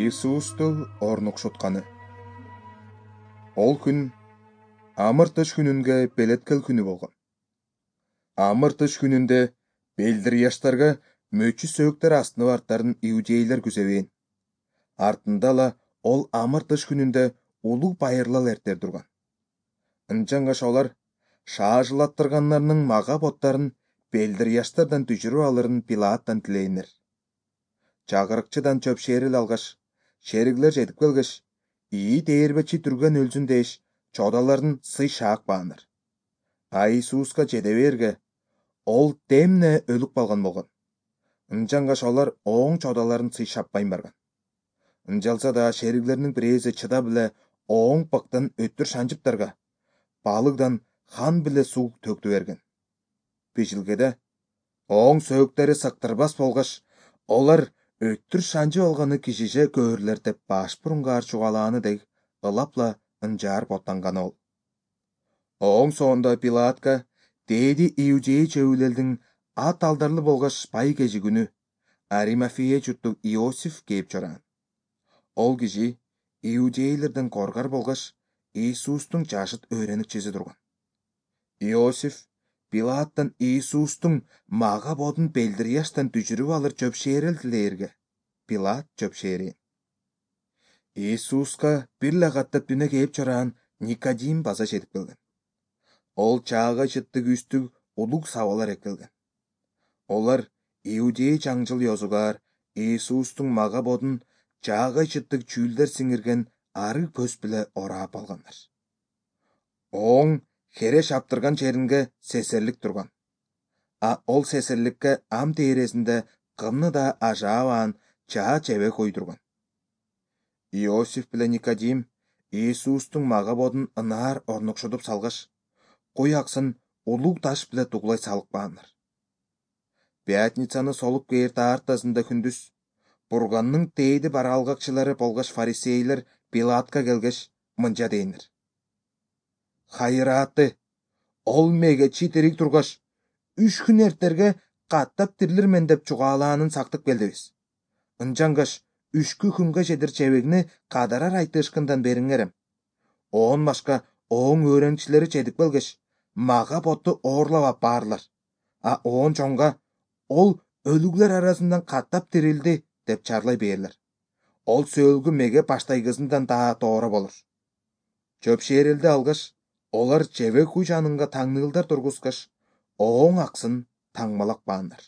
Иисусту орнукшутканы. Ол күн амыр-тыш күнүнгө белеткел күнү болгон. Амыр-тыш күнүндө белдир яштарга мөчү сөөктөр астына барттарын иудейлер күзөбөйүн. Артында ла ол амыр-тыш күнүндө улуу байырлал эртер турган. Ынчангаш олар шаажылаттыргандарынын мага боттарын белдир яштардан түшүрүп алырын Пилаттан тилейнер. Чагырыкчыдан чөп шээрил алгаш, шериглер жетип келгеш, ии дээрбечи түргөн өлсүн деш, чодаларын сый шаакпаандар. А Иисуска жете берге, ол темне өлүп калган болгон. Ынчангаш олар оң чодаларын сый шаппайн барган. Ынчалса да шериглердин бирээси чыдап эле оң пыктан өттүр шанчыптарга, балыгдан хан биле суу төктү берген. Бижилгеде оң сөөктөрү сыктырбас болгоч, олар өттүр шанчып алганы кишиже көөрүлөр деп баш бурунгаар чугалааны дег ылапла ынжаар боттанган ол. Оң соонда Пилатка дээди иудей чөбүлелдин ат алдарлы болгоч бай кежи күнү Аримафея журттук Иосиф кээп чораан. Ол киши иудейлерден коргар болгоч, Иисустун жашыт өөреникчиси турган. Иосиф Пилаттан Иисустун мага бодун белдир яштан түшүрүп алыр чөп шээрил тилээрге, Пилат чөп шээрин. Иисуска бир эле каттап дүнө кээп чораан Никодим база жетип келген. Ол чаагай чыттык үстүк улуг сабалар эккелген. Олар иудей чаңчыл ёзугар Иисустун мага бодун чаагай чыттык чүүлдер сиңирген арыг көз биле ораап алгандар. Оң хере шаптырган жеринге сесерлик турган. А ол сесерликке ам тээресинде кымны да ажаабаан чаа чебек уйдурган. Иосиф биле Никодим Иисустун мага бодун ынаар орнукшутуп салгаш, куй аксын улуу таш биле тугулай салыкпаандар. Пятницаны солуп кээр таартасында күндүз бурганның дээди бараалгакчылары болгоч фарисейлер Пилатка келгеш, мынча дейнер: «Хайырааты, ол мегечи тирик тургаш, 3 күн эртерге каттап тирилирмен деп чугаалаанын сактып келдибиз. Ынчангаш 3 күнгө чедир чебегини кадарар айтышкындан бериңерем. Оон башка оң өөреникчилери жетип келгеш, мага ботту оорлап ап баарлар. А оон чоңга ол өлүглөр арасынан каттап тирилди деп чарлай бээрлер. Ол сөөлгү меге баштайгысындан да тооро болор». Чөп шээрилди алгаш, олар чебек уй жанынга таңныылдар тургузгаш, оң аксын таңмалак баандар.